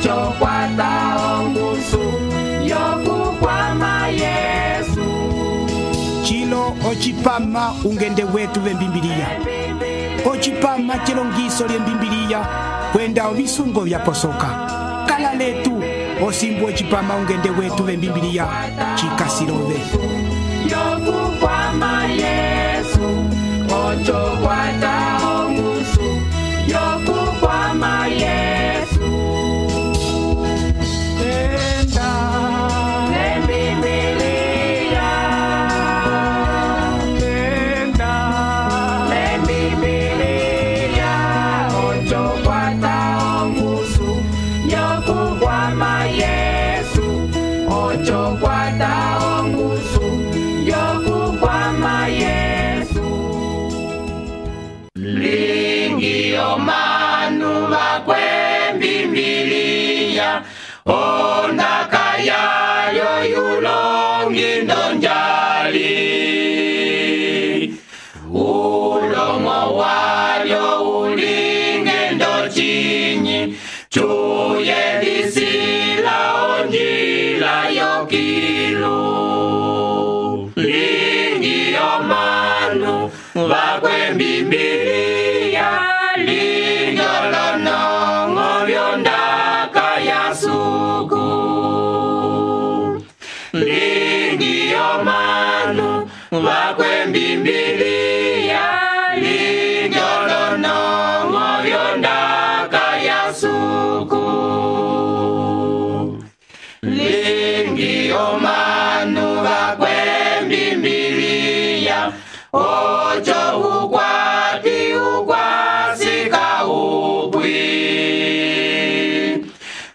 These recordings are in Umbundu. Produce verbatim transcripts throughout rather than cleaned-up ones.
ocho kwata ongusu yokukwama Yesu. Chilo ochipama ungende wetu vembimbiliya. Ochipama chilongiso lyembimbiliya kwenda ovisungo vyaposoka. Kala letu osimbu ochipama ungende wetu vembimbiliya chikasilove. Yokukwama Yesu, ocho kwata ongusu yokukwama Yesu. Tenda lembimbiliya, tenda lembimbiliya, ocho kwata ongusu yokukwama Yesu, ocho kwata ongusu yokukwama Yesu. Lingi omanu bakwembimbiliya, ondaka yayo yulongi ndonjali. Ulomo walyo ulinge ndochinyi, chuye lisila onjila yokilu. Lingi omanu bakwembimbiliya, lingolonongo byondaka yasuku. Lingi omanu bakwembimbiliya, lingolonongo byondaka yasuku. Lingi omanu bakwembimbiliya, ocho ukwati ukwasika upwi.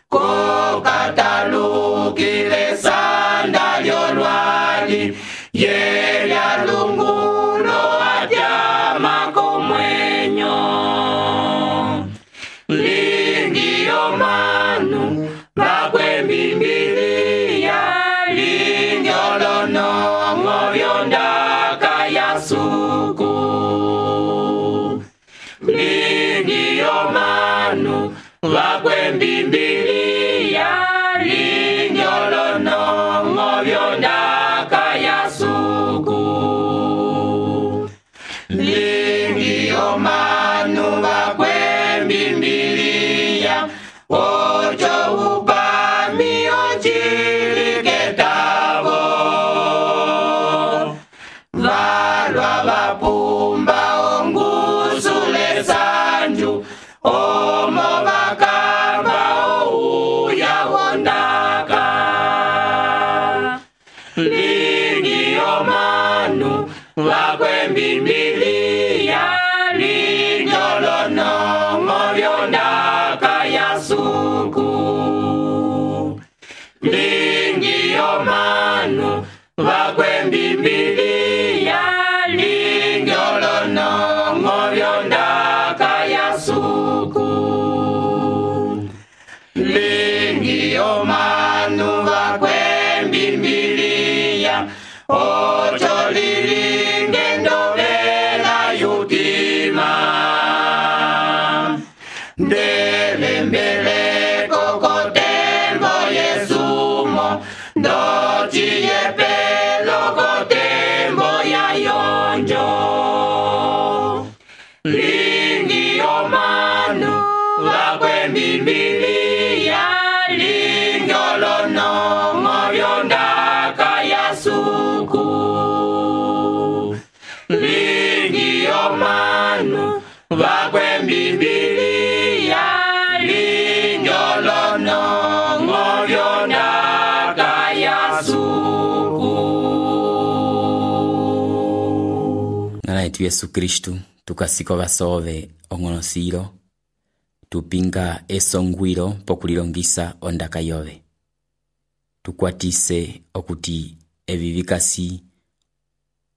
Kokatalukile sanda lyolwali, yelya lungulo atyama komwenyo. Lingi omanu bakwembimbiliya, lingolonongo byondaka yasuku. Lingi omanu bakwembimbiliya, lingolonongo byondaka yasuku. Lingi omanu bakwembimbiliya, ocho upami ochiliketavo. Valwa vapumba ongusule sanju, omo bakamba ouya wondaka. Lingi omanu bakwembimbiliya, lingolonongo byondaka yasuku. Lingi omanu bakwembimbiliya, lingolonongo byondaka yasuku. Lingi omanu bakwembimbiliya, ocho lilinge ndovela yutima. Ndelembeleko kotembo Yesumo, ndochiye pelo kotembo ya yonjo. Lingi omanu bakwembimbiliya, lingolonongo byondaka yasuku. Lingi omanu bakwembimbiliya, lingolonongo byondaka yasuku. Ngala yetu Yesu Kristu tukasiko basove ongonosiro, tupinga esongwiro pokulilongisa ondaka yove. Tukwatise okuti evivikasi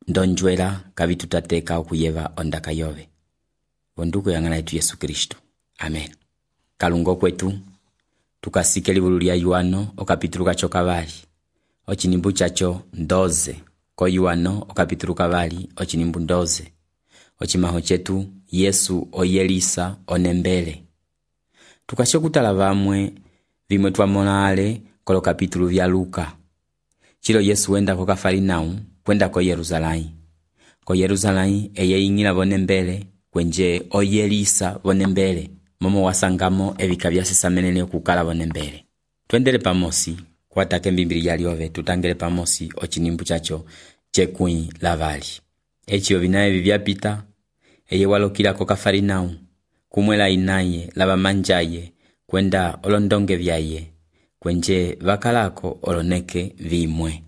ndonjwela kavitutateka okuyeva ondaka yove. Bonduko yangana yetu Yesu Kristu. Amen. Kalungo kwetu tukasike libulu lya Yohano okapitulu kacho kavali ochinimbu chacho ndoze ko Yohano okapitulu kavali ochinimbu ndoze ochimaho chetu Yesu oyelisa onembele. Tukashe kutala vamwe vimwe twamona ale kolo kapitulu vya Luka. Chilo Yesu wenda ko Kafarinau kwenda ko Yerusalai. Ko Yerusalai eye ingila vonembele kwenje oyelisa vonembele momo wasangamo evika vyasesamenene okukala vonembele. Twendele pamosi kwatake mbimbili yaliove tutangele pamosi ochinimbu chacho chekui lavali. Echi ovinaye vivyapita eye walokila ko Kafarinau kumwela inaye lava manjaye kwenda olondonge vyaye kwenje vakalako oloneke vimwe.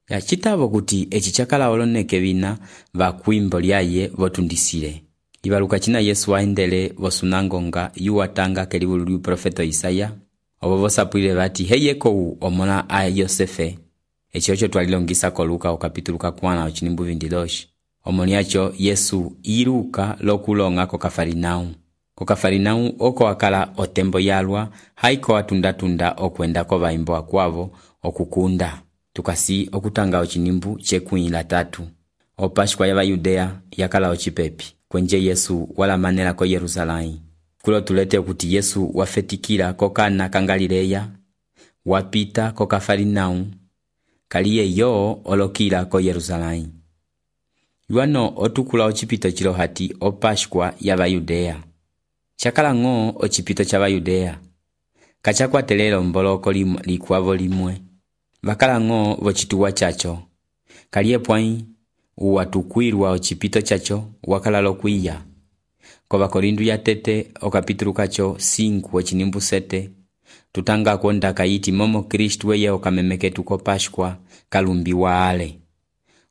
Ya chitavo kuti echi chakala oloneke vina vakwimbo lyaye votundisile. Ibaluka china Yesu waendele vosunangonga yuwatanga kelibulu liu profeto Isaya. Obo vosapwile vati heyeko u omona a Yosefe. Echi ocho twalilongisa ko Luka okapitulu kakwana ochinimbu vindidoshi. Omoniacho Yesu iruka lokulonga ko Kafarinau. Ko Kafarinau oko akala otembo yalwa haiko atunda-tunda okwenda ko vaimbo akwavo okukunda. Tukasi okutanga ochinimbu chekuila tatu. O Pashkwa ya Yudea yakala ochipepi. Kwenje Yesu wala manela ko Yerusalai. Kulo tulete kuti Yesu wafetikila ko Kana Kangalileya, wapita ko Kafarinau, kaliye yo olokila ko Yerusalai. Yuano otukula ochipito chilo hati o Pashkwa ya Yudea. Chakala ngo ochipito cha Yudea. Kachakwa telelo mboloko likwavo limwe. Vakala ngo vochituwa chacho. Kaliye pwai uwatukwirwa ochipito chacho wakala lokuiya. Kova Korindu ya tete okapitulu kacho cinco ochinimbu sete. Tutanga konda kaiti momo Kristu weye okamemeke tuko Pashkwa kalumbi wa ale.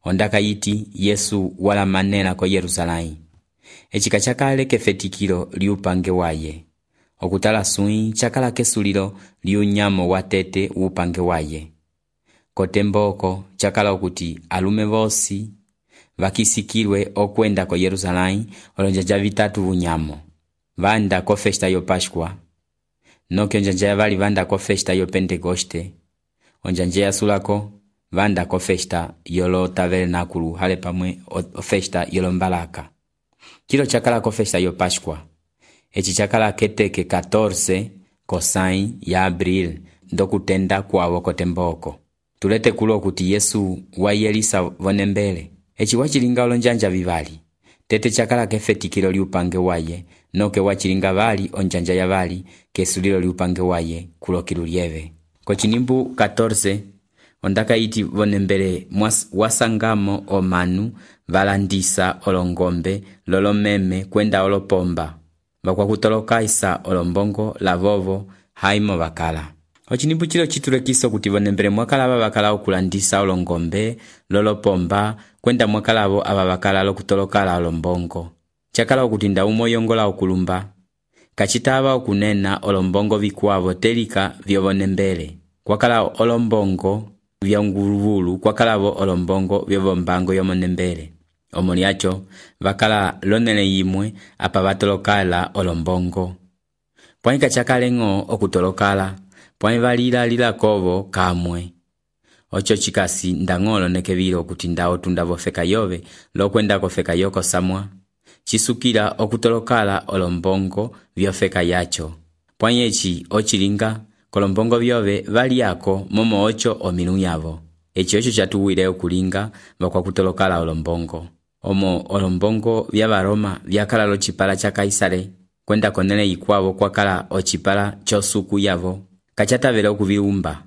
Onda kaiti Yesu wala manena ko Yerusalai. Echika chakale kefetikilo liupange waye. Okutala sui chakala kesulilo liunyamo watete upange waye. Kotemboko chakala okuti alume vosi vakisikilwe okwenda ko Yerusalai olonjanja vitatu vunyamo. Vanda ko festa yo Pashkwa. Noke onjanja vali vanda ko festa yo Pentekoste. Onjanja ya sulako vanda ko festa yolo tabernakulu hale pamwe o festa yolo mbalaka. Kilo chakala ko festa yo Pashkwa. Echi chakala keteke catorce kosai ya Abril ndokutenda kwavo kotemboko. Tulete kulo kuti Yesu wayelisa vonembele. Echi wachilinga olonjanja vivali. Tete chakala kefetikilo liupange waye. Noke wachilinga vali onjanja ya vali kesulilo liupange waye kulo kilulieve. Kochinimbu catorce ondaka iti vonembele wasangamo omanu valandisa olongombe lolomeme kwenda olopomba. Vakwa kutolokaisa olombongo lavovo haimo vakala. Ochinimbu chilo chitulekiso kuti vonembele mwakalava vakala okulandisa olongombe lolopomba kwenda mwakalavo ava vakala lokutolokala olombongo. Chakala okutinda umoyongola okulumba. Kachitava okunena olombongo vikuavo telika vyovonembele. Kwakala olombongo vyanguruvulu kwakalavo olombongo vyovombango yomonembele. Omoniacho vakala lonele yimwe apa vatolokala olombongo. Pwani kachakalengo okutolokala. Pwani valila lila kovo kamwe. Ocho chikasi ndangolo nekevilo okutinda otunda vofeka yove lokwenda kofeka yoko samwa. Chisukila okutolokala olombongo vyofeka yacho. Pwani echi ochilinga kolombongo vyove valiako momo ocho ominu yavo. Echi ocho chatuwile okulinga vakwa kutolokala olombongo. Omo olombongo vya Baroma vyakala lochipala cha Kaisare kwenda konele ikwavo kwakala ochipala chosuku yavo. Kachata vele okuviumba.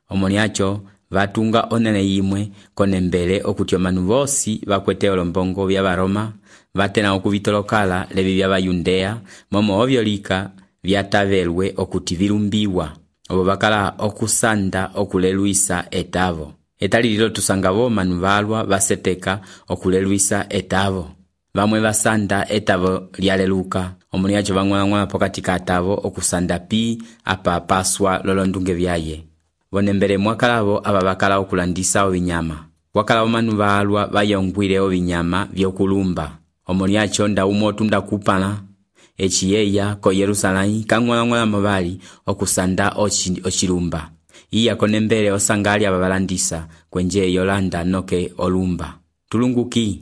Omoniacho vatunga onene yimwe konembele okuti omanu vosi vakwete olombongo vya Baroma vatena okuvitolokala levi vya Yudea momo ovyolika vyatavelwe okuti vilumbiwa. Obo bakala okusanda okuleluisa etavo. Etali lilo tusangavo manu valwa vaseteka okuleluisa etavo. Vamwe vasanda etavo lyaleluka. Omoniacho vangwana pokati katavo okusanda pi apa paswa lolondunge vyaye. Vonembele mwakalavo aba bakala okulandisa ovinyama. Wakala manu valwa vayongwile ovinyama vyokulumba. Omoniacho nda umotunda kupana. Echiyeya ko Yerusalai kangwala mabali okusanda ochi, ochilumba. Iya konembele osangali ababalandisa kwenje Yolanda noke olumba. Tulunguki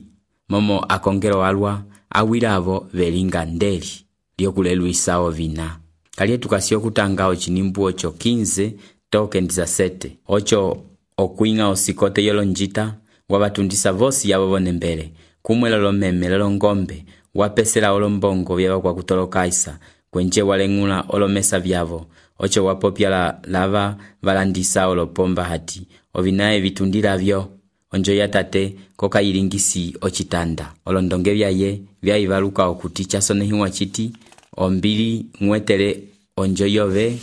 momo akongero alwa awilavo velinga ndeli lyokuleluisa ovina. Kaliye tukasi okutanga ochinimbu ocho quinze toke dezessete ocho okwinga osikote yolonjita wabatundisa vosi yabo bonembele kumwela lomeme lolongombe wapesela olombongo byaba kwa kutolokaisa kwenje walengula olomesa byabo ocho wapopya la lava balandisa olopomba hati ovinaye bitundira byo onjo yatate koka ilingisi ochitanda olondonge byaye byayibaluka okuti chasonehiwa chiti ombili mwetele onjo yove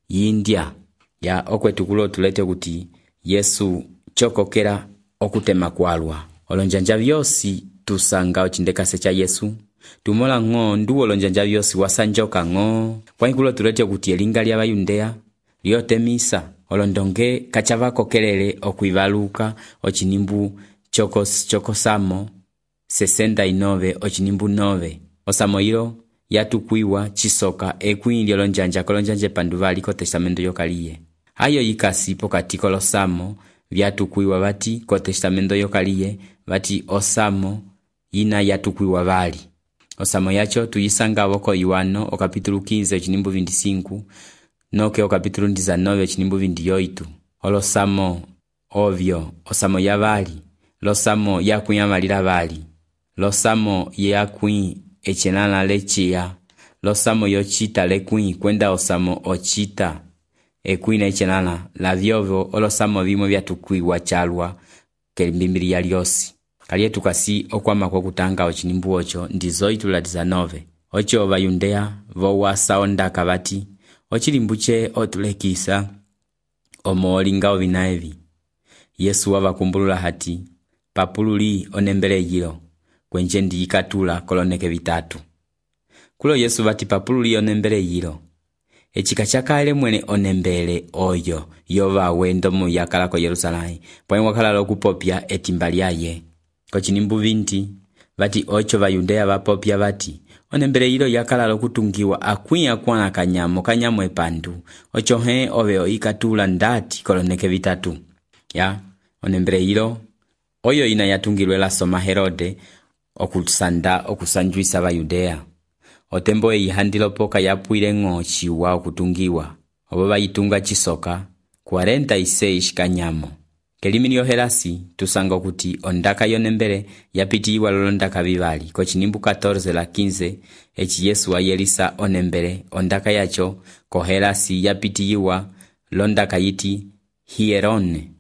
yindia ya okwetukulo tulete kuti Yesu chokokera okutema kwalwa olonjanja byosi tusanga ochindekase cha Yesu tumola ngo nduwo olonjanja byosi wasanjoka ngo kwa ikulo tulete kuti elinga lya bayundea lyotemisa olondonge kachava kokelele okwibaluka ochinimbu chokos chokosamo sesenta y nueve ochinimbu nove osamo hilo yatukwiwa chisoka ekwili olonjanja kolonjanje panduvali ko testamento yokaliye ayo yikasi pokati kolosamo byatukwiwa bati ko testamento yokaliye bati osamo yina yatukwiwa bali osamo yacho tuyisanga boko Yohano o capítulo quinze ochinimbu vinte y cinco noke o capítulo diecinueve ochinimbu vinte y ocho olosamo ovyo osamo ya bali losamo yakunya malira bali losamo yakwi echenana lechia losamo yochita lekwi kwenda osamo ochita ekwina echenana la vyovo olosamo bimwe byatukwiwa chalwa kelimbimiri ya lyosi kaliye tukasi okwama kwa kutanga ochinimbu ocho ndizo itula diecinueve ocho bayundea vowasa ondaka bati ochilimbuche otulekisa omolinga ovinaevi Yesu wabakumbulula hati papululi onembele yilo kwenje ndiyikatula koloneke bitatu kulo Yesu bati papululi onembele yilo echika chakale mwene onembele oyo yova wendo mu yakala ko Yerusalemu pwa wakala lokupopya etimba lyaye kochinimbu vinti bati ocho bayundea bapopya bati onembele yilo yakala lokutungiwa akwiya kwana kanyamo kanyamo epandu ocho he oveo ikatula ndati koloneke bitatu ya onembele yilo oyo ina yatungilwe la soma Herode okusanda okusanjuisa bayudea otembo eyihandilo poka yapwile ngo chiwa okutungiwa obo bayitunga chisoka cuarenta y seis kanyamo kelimi lyohelasi tusanga kuti ondaka yonembele yapitiwa lolondaka bibali ko chinimbu catorce la quinze echi Yesu ayelisa onembele ondaka yacho kohelasi yapitiwa londaka yiti hierone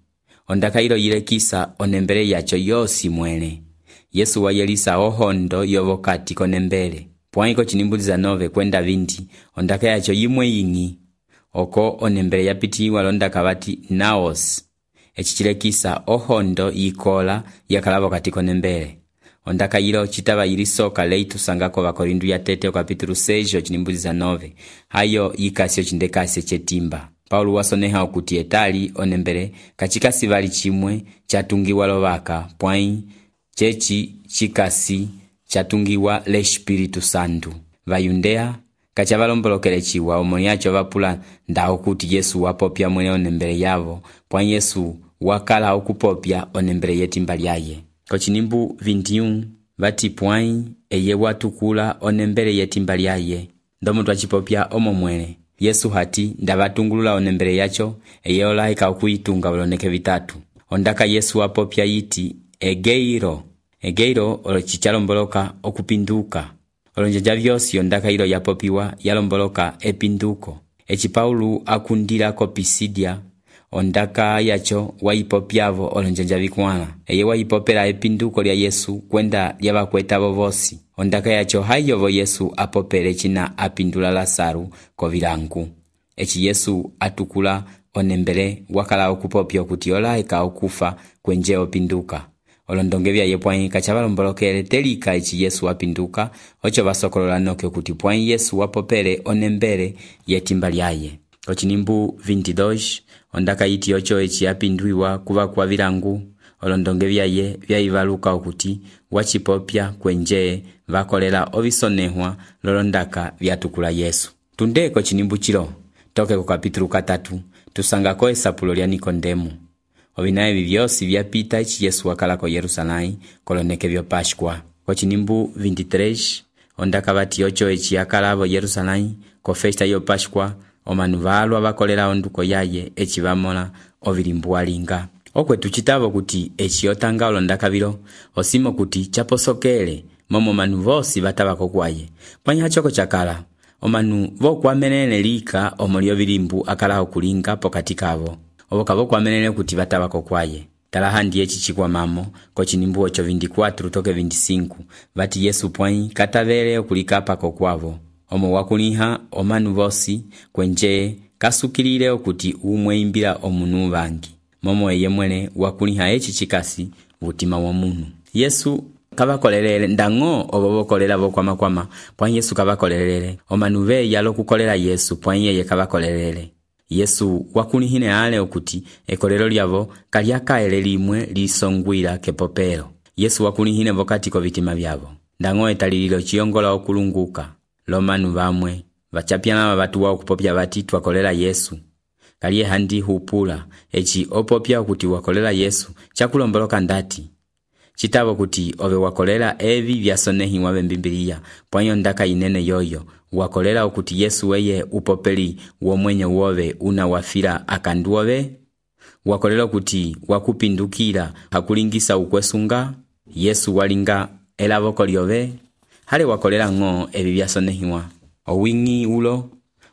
ondaka ilo yilekisa onembele yacho yosi mwene Yesu wayelisa ohondo yobokati konembele pwaiko chinimbu diecinueve kwenda vinti ondaka yacho yimwe yingi oko onembele yapitiwa londaka bati naos echichilekisa ohondo yikola yakalabo katiko nembele ondaka yilo chitaba yilisoka leitu sangako bakorindu ya tete o capítulo seis ochinimbu diecinueve hayo yikasi ochindekasi chetimba Paulo wasoneha okuti etali onembele kachika sivali chimwe chatungiwa lobaka pwai chechi chikasi chatungiwa le Espiritu Santo bayundea kachabalombolokele chiwa omoni yacho bapula nda okuti Yesu wapopya mwene onembele yabo pwa Yesu wakala okupopya onembele yetimba lyaye kochinimbu vinte y uno bati pwai eye watukula onembele yetimba lyaye ndomo twachipopya omo mwene Yesu hati ndabatungulula onembele yacho eye olaika okuitunga boloneke bitatu ondaka Yesu wapopya yiti egeiro egeiro olochichalomboloka okupinduka olonjanja byosi ondaka ilo yapopiwa yalomboloka epinduko echi Paulo akundira ko Pisidia ondaka yacho waipopyavo olonjanja bikwana eye waipopera epinduko lya Yesu kwenda lyabakwetabo bosi ondaka yacho hayovo Yesu apopere china apindula Lasaru ko bilangu echi Yesu atukula onembele wakala okupopya kuti olaika okufa kwenje opinduka olondonge byaye pwai kachabalombolokele telika echi Yesu apinduka ocho basokolola noke kuti pwai Yesu wapopere onembele yetimba lyaye ochinimbu vinte y dos ondaka yiti ocho echi apindwiwa kuba kwa bilangu olondonge byaye byayibaluka okuti wachipopya kwenje bakolela obisonehwa lolondaka byatukula Yesu tundeko chinimbu chilo toke ku capítulo katatu tusangako esapulo lya Nikodemo obinaye bibyosi byapita echi Yesu wakala ko Yerusalemu koloneke byo Pashkwa ko chinimbu vinte y tres ondaka bati ocho echi yakalabo Yerusalemu ko festa yo Páscoa omanu valwa bakolela onduko yaye eci bamola ovilimbu walinga. Okwetu citavo kuti eci otanga olondakavilo osimo kuti chaposokele momo manu vosi batabako kwaye. Pwanya choko chakala omanu vokwamenene lika omolio vilimbu akala okulinga pokati kavo. Oboka vokwamenene kuti batabako kwaye. Talahandi echi chikwa mamo ko chinimbu ocho veinticuatro toke veinticinco vati Yesu pwanyi katavele okulikapa ko kwavo. Omo wakuliha omanu vosi kwenje kasukilile okuti umwe imbila omunu vangi. Momo eye mwene wakuliha echi chikasi vutima wa munu. Yesu kabakolelele ndango obobokolela bokwama kwama pwanyi Yesu kabakolelele omanu ve yalo kukolela Yesu pwanyi yeye kabakolelele. Yesu wakulihine ale okuti ekolelo lyavo kalyakaele limwe lisongwila kepopelo. Yesu wakulihine vokati ko vitima vyavo. Ndango etalililo chiongola okulunguka. Lomanu vamwe vachapyana batu wa okupopya bati twakolela Yesu. Kaliye handi hupula echi opopya okuti wakolela Yesu chakulomboloka ndati. Chitabo kuti ove wakolela evi vyasonehi wabe mbimbilia pwanyo ndaka inene yoyo wakolela okuti Yesu weye upopeli womwenye wove una wafira akanduove. Wakolela okuti wakupindukira hakulingisa ukwesunga Yesu walinga elavoko lyove. Hale wakolela ngo evi vyasonehiwa owingi ulo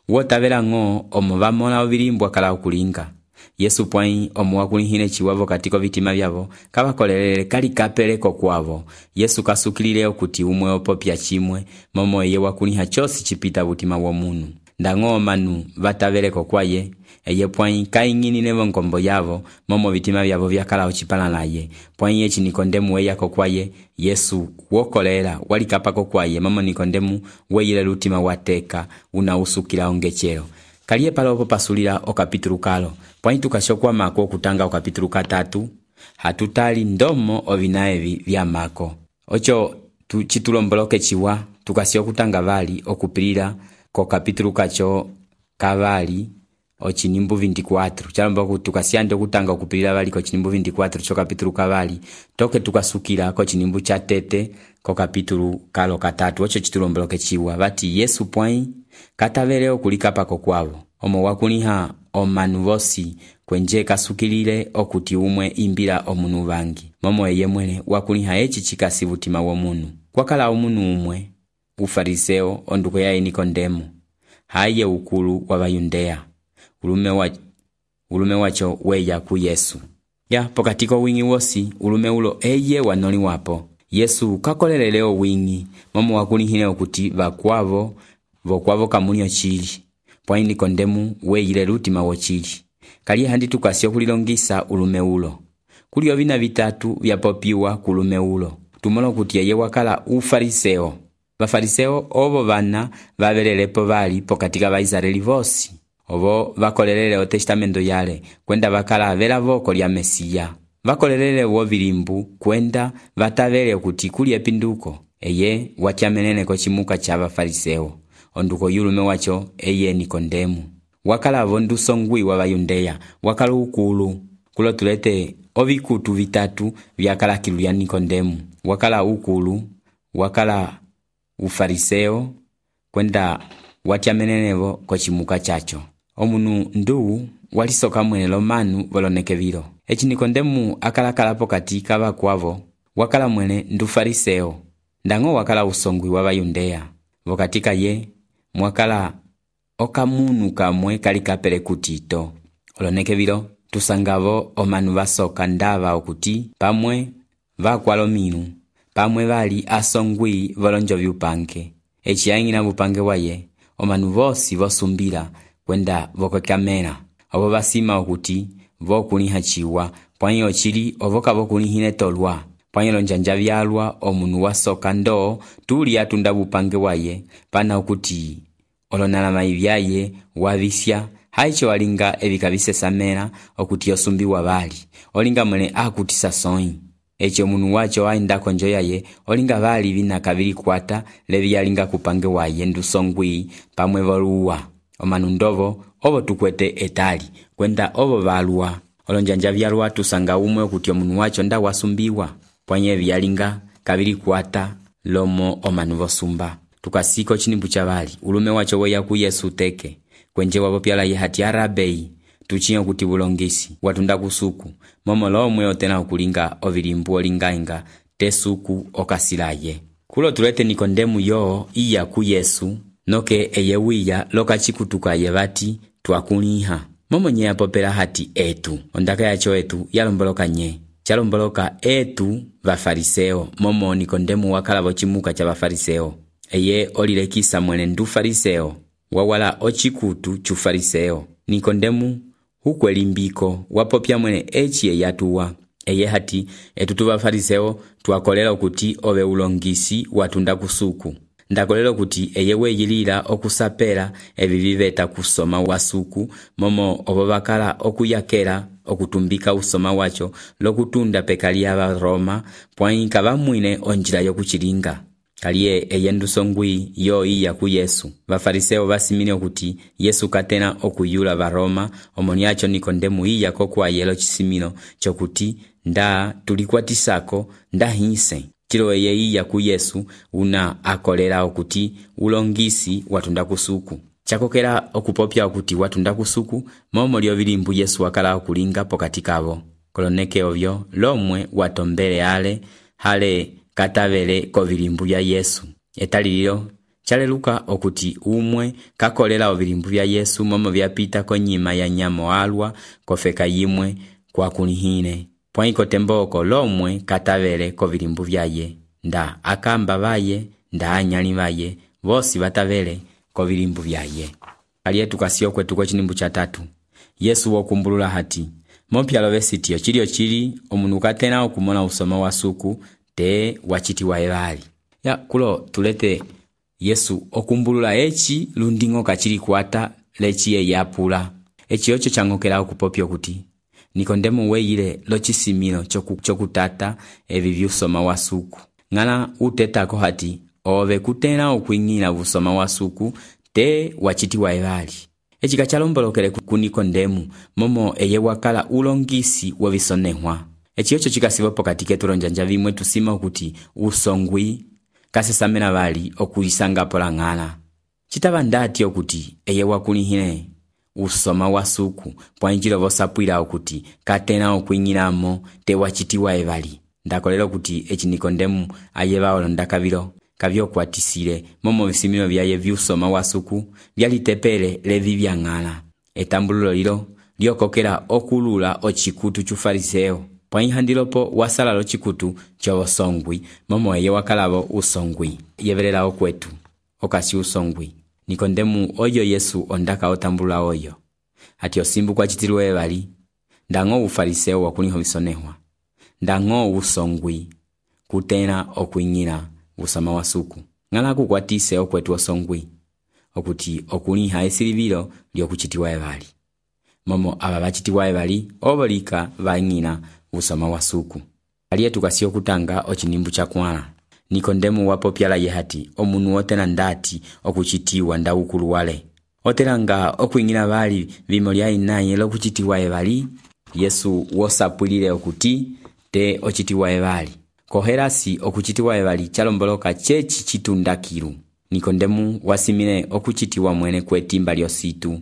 wotavela ngo omo bamola ovilimbu akala okulinga. Yesu pwanyi omo wakulihine chiwavo katiko vitima vyavo kabakolelele kali kapeleko kwavo. Yesu kasukilile okuti umwe opopya chimwe momo eye wakuliha chosi chipita butima wa munu. Ndango manu vataveleko kwaye eye pwanyi kainginine vonkombo yavo momo vitima vyavo vyakala ochipala naye. Pwanyi echi Nikodemu weyako kwaye Yesu wokolela walikapako kwaye momo Nikodemu weyile lutima wateka unausukila ongechero. Kaliye palopo pasulila okapitulu kalo. Pwanyi tukashokwa mako okutanga okapitulu katatu. Hatutali ndomo ovinaevi vya mako. Ocho tu chitulomboloke chiwa tukasi okutanga vali okupilila ko kapitulu kacho kavali ochinimbu veinticuatro. Chalombo tukasiande okutanga okupilila vali ko chinimbu veinticuatro cho kapitulu kavali. Toke tukasukila ko chinimbu chatete ko kapitulu kalo katatu. Ocho chitulomboloke chiwa vati Yesu pwanyi katavele okulikapa ko kwavo. Omo wakuliha omanu vosi kwenje kasukilile okuti umwe imbila omunu vangi. Momo eye mwene wakuliha echi chikasi vutima wa munu. Kwakala omunu umwe ufariseo onduko yae Nikodemu haye ukulu wa Bayundea. Ulume wa ulume wacho weya ku Yesu. Ya pokatiko wingi wosi ulume ulo eye wanoli wapo. Yesu kakoleleleo wingi momo wakulihine okuti vakwavo vokwavo kamunyo chili. Pwanyi Nikodemu weyile lutima wo chili. Kaliye handi tukasi okulilongisa ulume ulo. Kulio vina vitatu vyapopiwa kulume ulo. Tumolo kuti yeye wakala ufariseo. Bafariseo ovo vana vavelelepo vali pokatika Baisraeli vosi. Ovo vakolelele o testamento yale kwenda vakala vela voko lya Mesia. Vakolelele wo vilimbu kwenda vatavele kuti kuli epinduko. Eye watyamenene ko chimuka cha Bafariseo. Onduko yulume wacho eye Nikodemu. Wakala vondu songwi wa Bayundea. Wakala ukulu. Kulo tulete ovikutu vitatu vyakala kilu ya Nikodemu. Wakala ukulu. Wakala ufariseo. Kwenda watyamenenevo ko chimuka chacho. Omunu ndu walisoka mwene lomanu voloneke vilo. Echi Nikodemu akala kalapo katika vakwavo. Wakala mwene ndu fariseo. Ndango wakala usongwi wa Bayundea. Vokatika ye mwakala okamunu kamwe kali kapele kutito. Oloneke vilo tusangavo omanu vasoka ndava okuti pamwe vakwalo minu. Pamwe vali asongwi volonjo vyupange. Echi yangina vupange waye omanu vosi vosumbila kwenda vokokamena. Ovo basima okuti vokuliha chiwa pwanyi ochili ovoka vokulihine tolwa. Pwanyi lonjanja vyalwa omunu wasoka ndo tuli atunda vupange waye pana okuti olonala maivyaye wavisya haicho walinga evikabise samera okuti osumbi wabali olinga mwene akutisa sonyi. Echo munu wacho wainda konjo yaye olinga vali vina kabili kwata levi yalinga kupange waye ndusongwi pamwe voluwa. Omanu ndovo ovo tukwete etali kwenda ovo valua. Olonjanja vyalwa tusanga umwe okuti omunu wacho nda wasumbiwa. Pwanye vyalinga kabili kwata lomo omanu vosumba. tukasiko chinimbu chavali ulume wacho weya ku Yesu teke kwenje wapopyala ye hati arabei tuchiyo kuti bulongisi watunda kusuku momo lomwe otena okulinga ovilimbu olingainga tesuku okasilaye kulo tulete Nikodemu yo iya ku Yesu noke eyewiya loka chikutuka yebati twakuliha momo nye apopela hati etu ondaka yacho etu yalomboloka nye chalomboloka etu bafariseo momo Nikodemu wakalabo chimuka cha bafariseo eye olilekisa mwene ndu fariseo wawala ochikutu chu fariseo Nikodemu hukwelimbiko wapopya mwene echi eyatuwa eye hati etu tu bafariseo twakolela okuti obe ulongisi watunda kusuku ndakolela kuti eye weyilira okusapela ebibibeta kusoma wasuku momo obobakala okuyakela okutumbika usoma wacho lokutunda pekali aba Roma pwainka bamwine onjira yokuchilinga kaliye eyendusongwi yo iya ku Yesu bafariseo basimine okuti Yesu katena okuyula ba Roma omoniacho Nikodemu iya kokwa yelo chisimino chokuti nda tulikwatisako ndahinse chilo eye iya ku Yesu una akolera okuti ulongisi watunda kusuku chakokera okupopya okuti watunda kusuku momo lyo bilimbu Yesu wakala okulinga pokati kabo koloneke ovyo lomwe watombele ale hale katavele ko bilimbu bya Yesu etalililo chaleluka okuti umwe kakolela obilimbu bya Yesu momo byapita konyima ya nyamo alwa kofeka yimwe kwa kunihine pwaiko temboko lomwe katavele ko bilimbu byaye nda akamba baye nda anyali baye bosi batavele ko bilimbu byaye aliye tukasio kwetu ko chinimbu cha tatu Yesu wokumbulula hati mopyalo besitio chilio chili omunu katena okumona usoma wasuku te wachiti wa ebali ya kulo tulete Yesu okumbulula echi lundingo kachili kwata lechi ye yapula echi ocho changokela okupopyo kuti Nikodemu weyile lochisimino choku chokutata ebibi usoma wasuku ngana utetako hati obe kutena okwingina busoma wasuku te wachiti wa ebali echi kachalombolokele ku Nikodemu momo eye wakala ulongisi wabisonehwa echi ocho chikasibopo katike tulonjanja bimwe tusima okuti usongwi kasesamena bali okuyisanga polangana chitaba ndati okuti eye wakulihine usoma wasuku pwanjilo bosapwira okuti katena okwinyiramo te wachitiwa ebali ndakolero kuti echi Nikodemu ayeba olondakabiro kabyo kwatisire momo bisimino byaye byusoma wasuku byalitepele levi byangana etambululo lilo lyokokera okulula ochikutu chu fariseo pwaihandilopo wasala lo chikutu chobosongwi momo eye wakalabo usongwi yeberera okwetu okasi usongwi Nikodemu oyo Yesu ondaka otambula oyo ati osimbu kwa chitilwe bali ndango ufariseo wakuniho bisonehwa ndango usongwi kutena okwinyira usama wasuku ngala kukwatise okwetu osongwi okuti okuniha esilibiro lyokuchitiwa bali momo aba bachitiwa bali obolika banyina usama wasuku aliye tukasio kutanga ochinimbu cha kwana Nikodemu wapopyala yehati omunu otena ndati okuchitiwa ndaukulu wale oteranga okwingina bali bimolya inaye lokuchitiwa ebali Yesu wosapulile okuti te ochitiwa ebali koherasi okuchitiwa ebali chalomboloka chechi chitundakiru Nikodemu wasimine okuchitiwa mwene kwetimba lyositu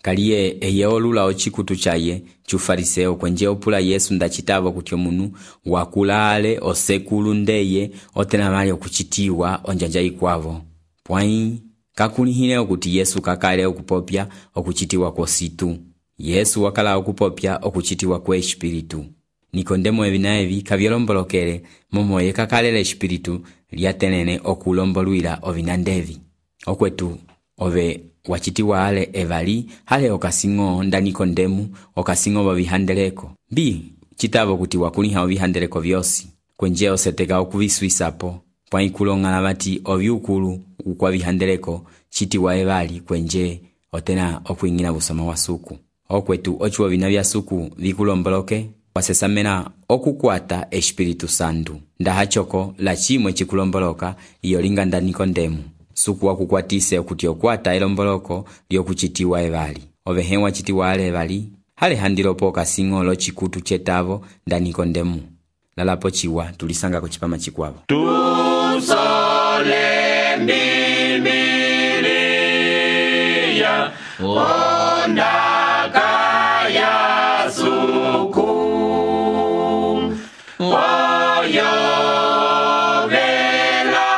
kaliye eye olula ochikutu chaye chufariseo kwenje opula Yesu ndachitabo kuti omunu wakulale osekulu ndeye otena mali okuchitiwa onjanja ikwavo pwai kakulihine okuti Yesu kakale okupopya okuchitiwa kositu Yesu wakala okupopya okuchitiwa kwe espiritu Nikodemu ebinaevi kabyolombolokele momo ye kakalele espiritu lyatenene okulombolwira ovinandevi okwetu ove wachitiwa ale evali hale okasingo nda Nikodemu okasingo babihandeleko bi chitabo kuti wakuliha obihandeleko byosi kwenje oseteka okubiswisapo pwaikulongana bati obyukulu ukwa bihandeleko chitiwa evali kwenje otena okwingina busoma wasuku okwetu ochuo bina bya suku bikulomboloke wasesamena okukwata espiritu santu ndahachoko la chimwe chikulomboloka iyolinga nda Nikodemu suku wakukwatise okuti okwata elomboloko lyokuchitiwa ebali obehewa chitiwa ale ebali hale handilopo kasingo lo chikutu chetavo nda Nikodemu lalapo chiwa tulisanga ko chipama chikwavo tusole mbi ondaka ya suku oyo vela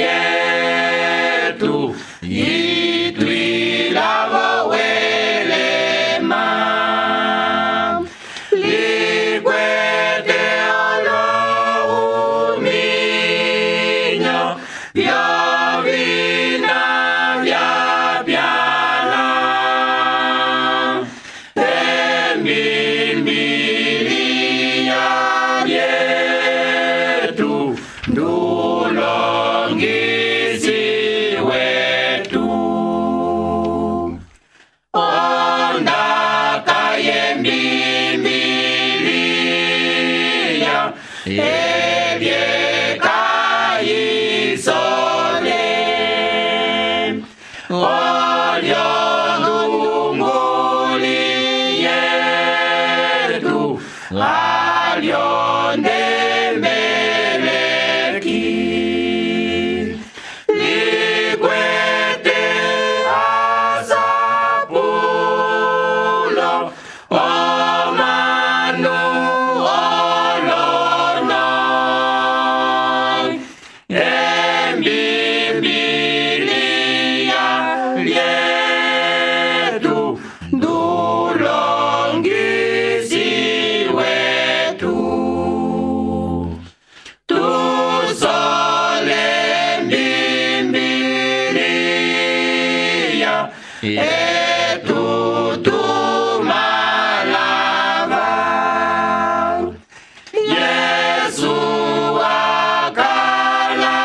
yetu itwila welema likwete olohuminyo vyovina vyapyala emimbiliya yetu ndulongisi wetu ondaka yembimbiliya ebyekayisole olyondunguli yetu alyondemeleki likwete asapulo omanu olono embibiliya lyetu ndulongisi wetu tusole mbimbiliya etutumalava Yesu akala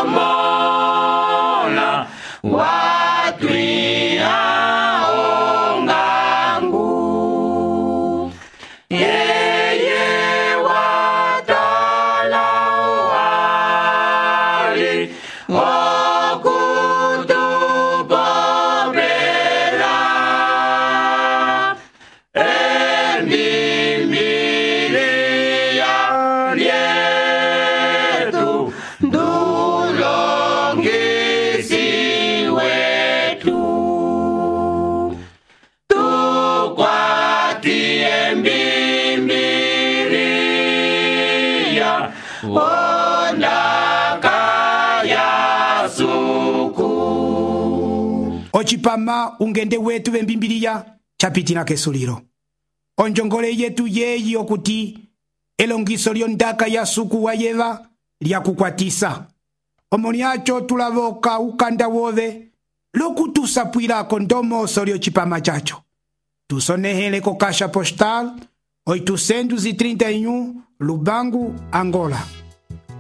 omola watwiha ongangu yeye watala wali okutupopela emimbiliya lyetu ndulongisi wetu tukwati emimbiliya ondaka ya suku ocipama ungende wetu vembimbiliya capitila kesulilo onjongole yetu yeyi okuti elongiso lyondaka ya suku wayeva lyakukwatisa omo lyaco tulavoka ukanda wove lokutusapwilako ndomoso lyocipama caco tusonehele ko caixa postal oitocentos e trinta e um Lubango, Angola.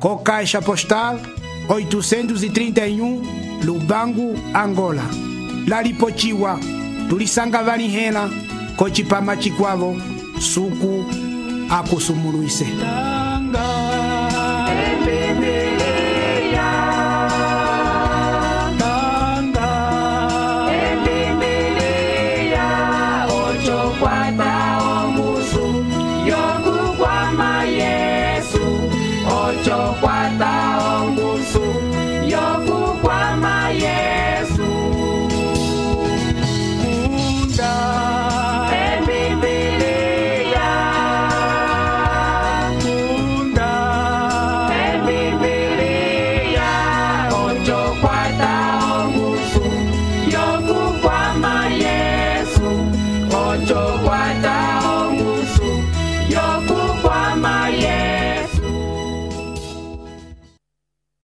Co caixa postal oitocentos e trinta e um Lubango, Angola. Lalipochiwa tulisanga vanihela kocipama cikwavo suku akusumuluise. Yokukwama Yesu ocho kwata